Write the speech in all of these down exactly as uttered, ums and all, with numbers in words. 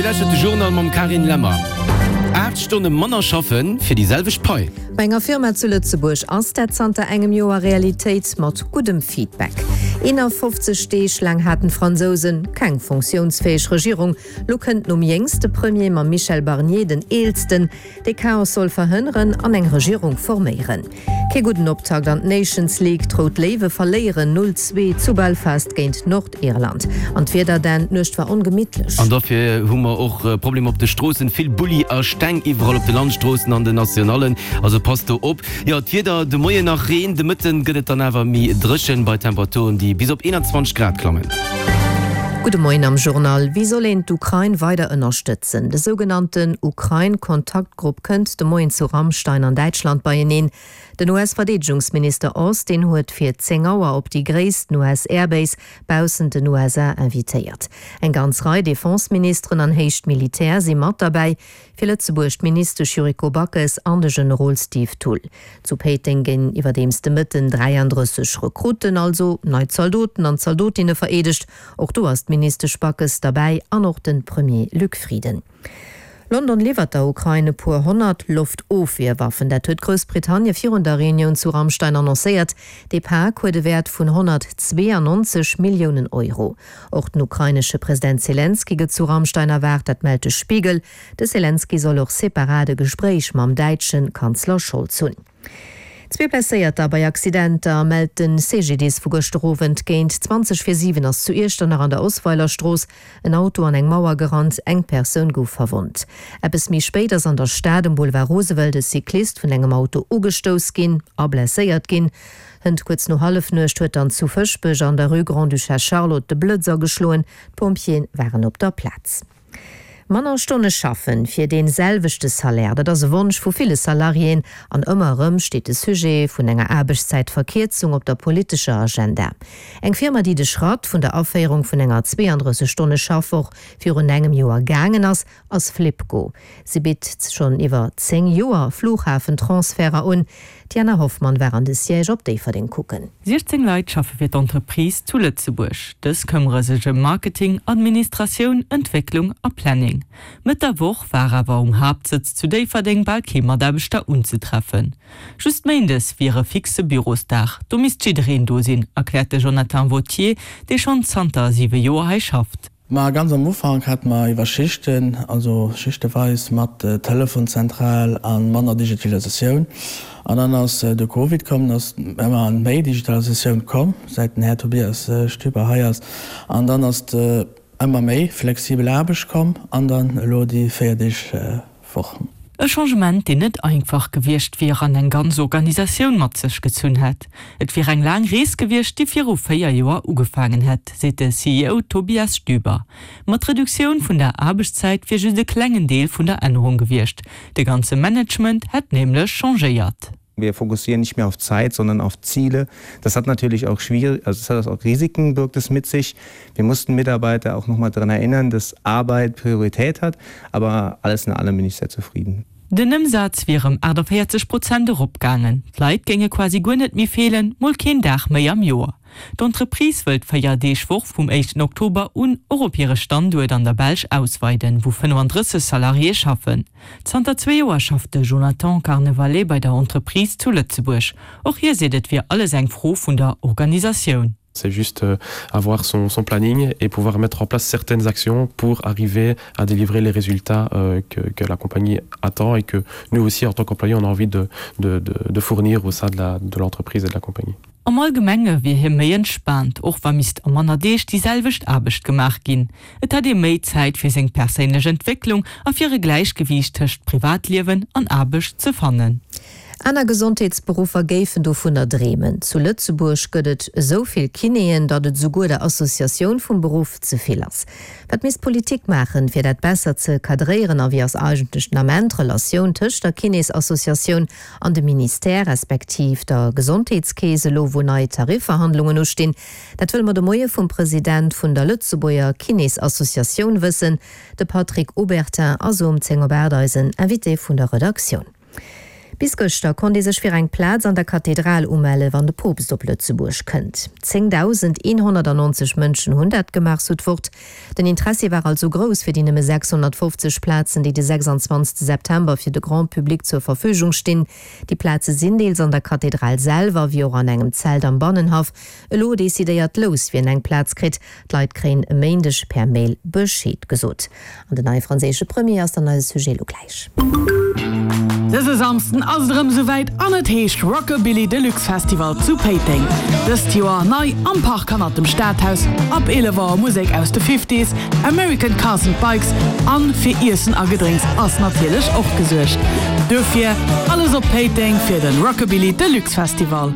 Dir lauschtert de Journal mam Carine Lemmer. Aacht Stonne manner schaffen fir déi selwecht Pai. Bei enger Firma zu Lëtzebuerg ass dat zanter engem Joer Realitéit, mat guddem Feedback. eenafofzeg Deeg laang haten d'Fransousen keng funktiounsfäeg Regierung. Lo kënnt nom jéngste Premier, mam Michel Barnier den eelsten, dee Chaos soll verhënneren an eng Regierung forméieren. Kee gudden Optakt an d'Nations League, D'Rout Léiwe verléieren null zwee zu Belfast géint Nordirland. An d'Wieder, Dan, d'Nuecht war ongemittlech. An dofir hu mer och Problemer op de Stroossen, vill Bulli a Steng iwwerall op de Landstroossen an den Nationallen, also passt do op. Jo, d'Wieder, de Moien nach Reen, de Mëtten gëtt et dann awer méi dréchen, bei Temperaturen déi bis op eenanzwanzeg Grad klammen. Gudde Moien am Journal. Wéi soll een d'Ukrain weider ënnerstëtzen? De sougenannten Ukrain-Kontaktgrupp kënnt de Moien zu Ramstein an Däitschland beieneen. Den U S-Verdeedegungsminister Austin huet fir zéng Auer op déi gréissten U S-Airbase baussent den U S A invitéiert. Eng ganz Rei Defense-Ministeren an héich Militär si mat derbäi, fir Lëtzebuerg d'Ministesch Yuriko Backes an de Generol Steve Thull. Zu Péiteng ginn iwwerdeems de Mëtten dräiandrësseg Rekrutten, also nei Zaldoten an Zaldotinne vereedegt. Och do ass d'Ministesch Backes derbäi an och de Premier Luc Frieden. London liwwert der Ukrain e puer honnert Loftofwierwaffen. Dat huet Groussbritannie virun der Reunioun zu Ramstein annoncéiert. Dee Pak huet e Wäert vun honnertzweeanonzeg Milliounen Euro. Och den ukrainesche President Selenskyj gëtt zu Ramstein erwaart, dat mellt de Spiegel. De Selenskyj soll och separat e Gespréich mam däitsche Kanzler Scholz hunn. Zwee Blesséierter bei Accidenter mellt de C G D I S vu gëschter Owend. Géint zwanzeg vir siwen ass zu Iechternach an der Osweilerstrooss en Auto an eng Mauer gerannt, eng Persoun gouf verwonnt. Eppes méi spéit ass an der Stad um Boulevard Roosevelt e Cyclist vun engem Auto ugestouss ginn a blesséiert ginn. Hënt kuerz no Hallefnuecht huet dann zu Fëschbech an der Rue Grande-Duchesse Charlotte de Blëtz ageschloen, d'Pompjeeë waren op der Plaz. Manner Stonne schaffen fir dee selwechte Salaire, dat ass e Wonsch vu ville Salariéen an ëmmer erëm steet de Sujet vun enger Aarbechtszäitverkierzung op der politescher Agenda. Eng Firma, déi de Schratt vun der Aféierung vun enger zweeandrësseg Stonne Schaffwoch virun engem Joer gaangen ass, ass Flibco. Si bitt schonn iwwer zéng Joer Fluchhafentransferter un. D'Diana Hoffmann war an de Siège op Déifferdeng kucken. siechzéng Leit schaffe fir d'Entreprise zu Lëtzebuerg. Dës këmmere sech ëm Marketing, Administratioun, Entwécklung a Planning. Mëtt der Woch war awer um Haaptsëtz zu Déifferdeng bal kee Mataarbechter unzetreffen. Just méindes wier e fixe Bürosdag, do misst jiddereen do sinn, erkläert de Jonathan Vautier, dee schonn zanter siwe Joer hei schafft. Ma ganz am Ufank hate mer iwwer Schichten, also schichteweis mat Telefonzentral a manner Digitalisatioun. An dann ass de Covid komm, ass ëmmer méi Digitalisatioun komm, säit den Här Tobias Stüber hei ass. An dann ass ëmmer méi flexibel Aarbecht komm an dann elo déi véier Deeg Woch. E Changement, deen net einfach gewiescht wier an eng ganz Organisatioun mat sech gezunn hätt. Et wier eng laang Rees gewiescht, déi viru véier Joer ugefaangen hätt, seet de C E O Tobias Stüber. Mat Reduktioun vun der Aarbechtszäit wier just e klengen Deel vun der Ännerung gewiescht. De ganze Management hätt nämlech changéiert. Wir fokussieren nicht mehr auf Zeit, sondern auf Ziele. Das hat natürlich auch schwierig, also das hat auch Risiken, birgt es mit sich. Wir mussten Mitarbeiter auch noch mal daran erinnern, dass Arbeit Priorität hat, aber alles in allem bin ich sehr zufrieden. Den Ëmsaz wier ëm achtundvéierzeg Prozent eropgaangen. D'Leit géinge quasi guer net méi feelen, mol keen Dag méi am Joer. D'Entreprise wëllt d'Véier-Deeg-Woch vum éischten Oktober un och op hire Standuert an der Belsch ausweiden, wou fënnefandrësseg Salariéë schaffen. Zanter zwee Joer schafft de Jonathan Carnevale bei der Entreprise zu Lëtzebuerg. Och hie seet, et wier alles eng Fro vun der Organisatioun. C'est juste avoir son, son planning et pouvoir mettre en place certaines actions pour arriver à délivrer les résultats euh, que, que la compagnie attend et que nous aussi en tant qu'employés on a envie de, de, de, de fournir au sein de la, de l'entreprise et de la compagnie. Am Allgemenge wier hie méi entspaant, och wa misst a manner Deeg déi selwecht Aarbecht gemaach ginn. Et hätt ee méi Zäit fir seng perséinlech Entwécklung a fir e Gläichgewiicht tëscht Privatliewen an Aarbecht ze fannen. Aner Gesondheetsberuffer géifen dovunner dreemen. Zu Lëtzebuerg gëtt et esou vill Kinéen, datt et souguer der Associatioun vum Beruff ze vill ass. Wat misst d'Politik maachen, fir dat besser ze kadréieren a wéi ass eigentlech den Ament d'Relatioun tëscht der Kinésassociatioun an dem Ministère respektiv der Gesondheetskeess, elo wou nei Tarifverhandlungen ustinn? Dat wëlle mer de Moie vum President vun der Lëtzebuerger Kinésassociatioun wëssen. De Patrick Obertin ass um zéng op aacht eisen Invité vun der Redaktioun. Bis gëschter konnt ee sech fir eng Plaz an der Kathedral umelle wann de Poopst op Lëtzebuerg kënnt. zéngdausendeenhonnertannonzeg Mënschen hunn dat gemaach, sou d'Wort. Den Interessi war also grouss fir déi nëmme sechshonnertfofzeg Plazen, déi de sechsanzwanzegste September fir de Grand Public zur Verfügung stinn. Déi Plaze sinn deels an der Kathedral selwer, wéi och an engem Zelt am Bannenhaff. Elo decidéiert d'Lous, wien eng Plaz kritt. D'Leit kréien e Méindeg per Mail Bescheed gesot. An den neie franséische Premier ass dann eise Sujet elo gläich. Dëse Samsden ass et erëm esouwäit an et heescht Rockabilly Deluxe Festival zu Péiteng. Dëst Joer nei am Park hannert dem Stadhaus. Ab eelef Auer Musek aus de Fifties, American Cars and Bikes an fir Iessen a Gedrénks ass natierlech och gesuergt. Duerfir alles op Péiteng fir den Rockabilly Deluxe Festival.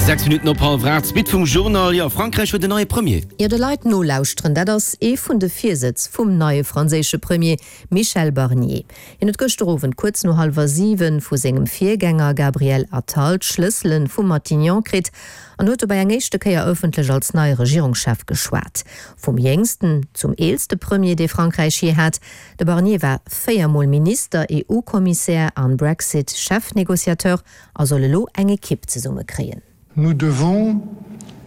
Sechs Minutten op hallwer aacht, d'Suite vum Journal. Jo, Frankräich huet en neie Premier. Jo, de Leit nolauschteren, dat ass ee vun de Virsätz vum neie franséische Premier Michel Barnier. Hien huet gëschter Owend kuerz no hallwer siwen vu sengem Virgänger Gabriel Attal d'Schlëssele vum Matignon kritt an huet dobäi eng éischte Kéier ëffentlech als neie Regierungschef geschwat. Vum jéngsten zum eelste Premier, dee Frankräich jee hat. De Barnier war véier Mol Minister, EU-Kommissär an Brexit-Chefnegociateur a soll elo eng Ekipp zesummekréien. Nous devons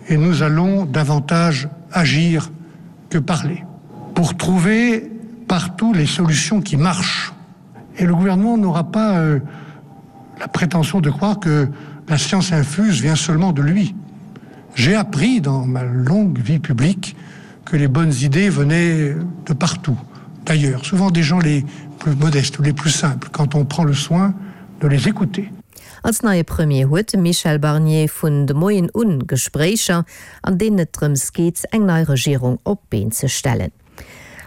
et nous allons davantage agir que parler pour trouver partout les solutions qui marchent. Et le gouvernement n'aura pas euh, la prétention de croire que la science infuse vient seulement de lui. J'ai appris dans ma longue vie publique que les bonnes idées venaient de partout, d'ailleurs, souvent des gens les plus modestes ou les plus simples, quand on prend le soin de les écouter. Als neie Premier huet de Michel Barnier vun de Moien un Gespréicher, an deenen et drëms geet, eng nei Regierung op d'Been ze stellen.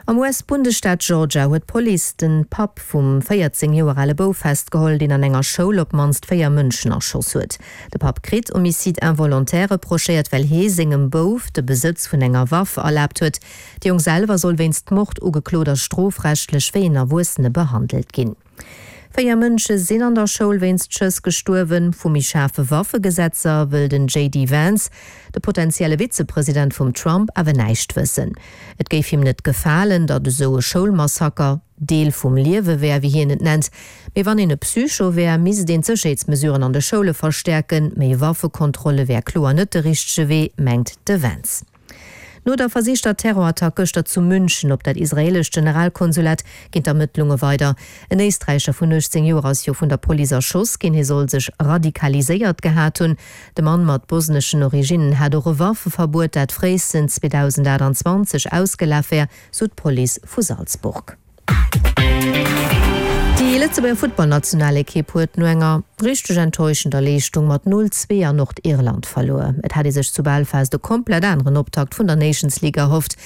Am U S-Bundesstaat Georgia huet d'Police de Papp vum véierzéng Joer ale Bouf festgeholl, deen an enger Schoul op d'mannst véier Mënschen erschoss huet. De Papp kritt Homicide involontaire reprochéiert, well hie sengem Bouf de Besëtz vun enger Waff erlaabt huet. De Jong selwer soll wéinst Mord ugeklot a strofrechtlech wéi en Erwuessene behandelt ginn. Véier Mënsche sinn an der Schoul wéinst Schëss gestuerwen. Vu méi schaarfe Waffegesetzer wëll den J D Vance, de potentielle Vizepresident vum Trump, awer näischt wëssen. Et géif him net gefalen, datt esou e Schoulmassaker Deel vum Liewe wär, wéi hien et nennt. Mee wann een e Psycho wär, misst een d'Sécherheetsmesuren an de Schoule verstäerken. Méi Waffekontrolle wär kloer net de richtege Wee, mengt de Vance. No der versichter Terrorattack gëschter zu München op dat israeelescht Generalkonsulat ginn d'Ermëttlunge weider. En Éisträicher vun uechtzéng Joer ass jo vun der Police erschoss ginn. Hie soll sech radikaliséiert gehat hunn. De Mann mat bosneschen Originnen hat och e Waffeverbuet, dat fréistens zweedausendaachtanzwanzeg ausgelaf wär, sou d'Police vu Salzburg. Déi Lëtzebuerger Futtballnationalekipp huet no enger richteg enttäuschender Leeschtung mat null, zwee an Nordirland verluer. Et hat ee sech zu Belfast e komplett aneren Optakt vun der Nations League erhofft.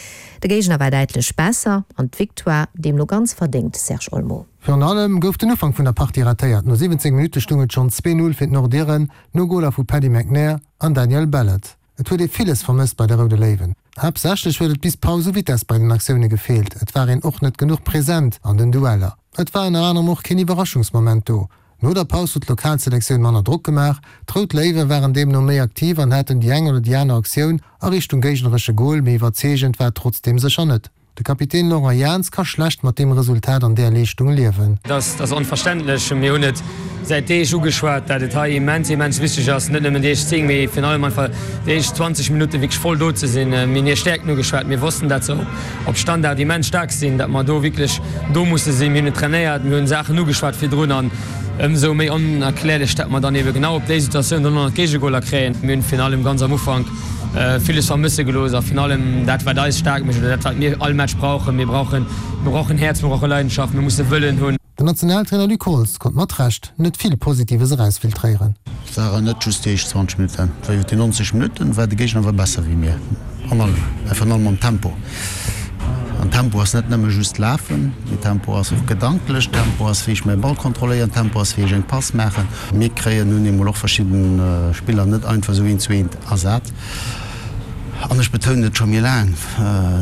De Géigner war däitlech besser an d'Victoire deemno ganz verdéngt, Serge Olmo. Virun allem gouf den Ufank vun der Partie ratéiert. No siwwenzéng Minutte stoung et schonn zwee, null fir d'Nordiren, no Goler vu Paddy McNair an Daniel Ballard. Et huet ee villes vermësst bei de Roude Léiwen. Haaptsächlech huet et bis d'Paus u Vitess bei den Aktioune gefeelt. Et war een och net genuch present an den Dueller. Et war ënner anerem och keen Iwwerraschungsmoment do. No der Paus huet d'Lokalselektioun manner Drock gemaach. D'Rout Léiwe waren deemno méi aktiv an haten déi eng oder déi aner Aktioun a Richtung géigneresche Gol, mee iwwerzeegend war et trotzdeem sécher net. De Kapitän Laurent Jans ka schlecht mat deem Resultat an där Leeschtung liewen. Dat ass onverständlech. Mir hunn et säit Deeg ugeschwat, dat et hei immens, immens wichteg ass, net nëmmen déi éischt zéng, mee virun allem einfach déi éischt zwanzeg Minutte wierklech voll do ze sinn. Mir hunn hir Stäerkten ugeschwat. Mir wossten, dat se op Standard immens staark sinn, dat mer do wierklech do musse sinn. Mir hunn et trainéiert, mir hunn Saachen ugeschwat virdrun an ëmsou méi onerklärlech, dat mer dann ebe genau op déi Situatioun dann och nach d'Géigegoler kréien. Mir hunn virun allem ganz am Ufank villes vermësse gelooss a virun allem dat, wat eis staark mécht oder dat, wat mir all Match brauchen. Mir brauchen, mir brauchen Häerz, mir brauche Leidenschaft, mir musse Wëllen hunn. Den Nationaltrainer Luc Holtz konnt mat Recht net vill Positives erausfiltréieren. Et waren net just déi éischt zwanzeg Minutten, et war iwwer déi nonzeg Minutten war de Géigner awer besser wéi mir an allem, a virun allem am Tempo. An Tempo ass net nëmme just lafen, mee Tempo ass och gedanklech, Tempo ass wéi ech mäi Ball kontrolléieren, Tempo ass wéi ech eng Pass maachen. Mir kréien nun eemol och verschidde Spiller net einfach esou eent zu eent ersat. An ech betounen et scho méi laang,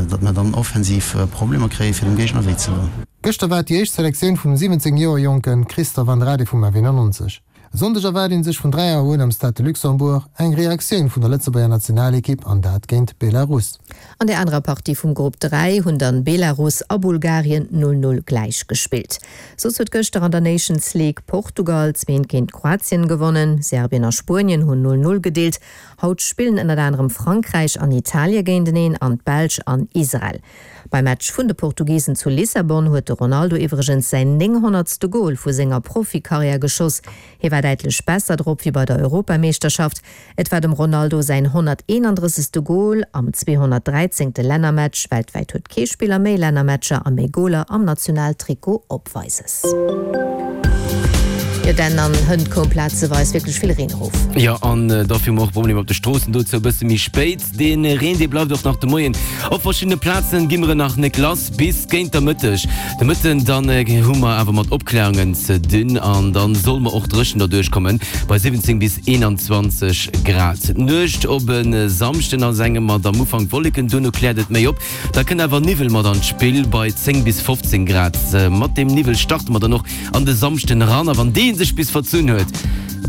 datt mer dann offensiv Problemer kréie fir dem Géigner wéi ze doen. Gëschter war et déi éischt Selektioun vum siwwenzéng Joer jonke Christophe Andrade vum A W nonzeg. E Sonndeg erwaart ee sech vun dräi Auer un am Stade de Luxembourg eng Reaktioun vun der Lëtzebuerger Nationalekipp an dat géint Belarus. An der anerer Partie vum Grupp dräi hunn dann Belarus a Bulgarien null null gläich gespillt. Soss huet gëschter an der Nations League Portugal zwee eent géint Kroatien gewonnen, Serbien a Spuenien hunn null null gedeelt. Haut spillen ënnert anerem Frankräich an Italie géinteneen an d'Belsch an Israel. Beim Match vun de Portugisen zu Lissabon huet de Ronaldo iwwregens säin nénghonnertste Gol vu senger Profikarriär geschoss. Hie war däitlech besser drop wéi bei der Europameeschterschaft. Et war dem Ronaldo säin honnerteenandrëssegste Gol am zweehonnertdräizéngte Lännermatch. Weltwäit huet kee Spiller méi Lännermatcher a méi Goler am Nationaltrikot opweises. Jo, denn an hënt koum plazeweis wierklech vill Reen erof. Jo, an dofir hu mer och Problemer op de Stroossen, dozou e bësse méi spéit. Dee Reen, dee bleift och nach de Moien op verschiddene Plazen, gi mer en nach nek lass bis géint der Mëtteg. De Mëtten dann hu mer awer mat Opklärungen ze dinn an dann soll mer och dréchen derduerch kommen bei siwwenzéng bis eenanzwanzeg Grad. D'Nuecht op e Samschden ass engem mat am Ufank Wolleken, duerno kläert et méi op, da kënnt awer Niwwel mat an d'Spill bei zéng bis fofzéng Grad. Mat deem Niwwel starte mer dann och an de Samschden eran a wann dee sech bis verzunn huet,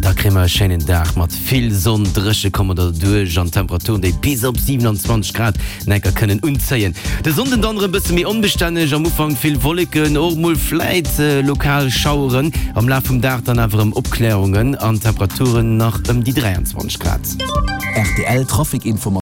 da kréie mer e schéinen Dag mat vill Sonn, dréche komme mer derduerch an Temperaturen, déi bis op siwenanzwanzeg Grad enker kënnen unzéien. De Sonnden dann erëm bësse méi onbestänneg, am Ufank vill Wolleken, och mol vläit lokal Schaueren, am Laf vum Dag dann awer erëm Opklärungen an Temperaturen nach ëm déi dräianzwanzeg Grad. Rtl Trafic Informatiounen.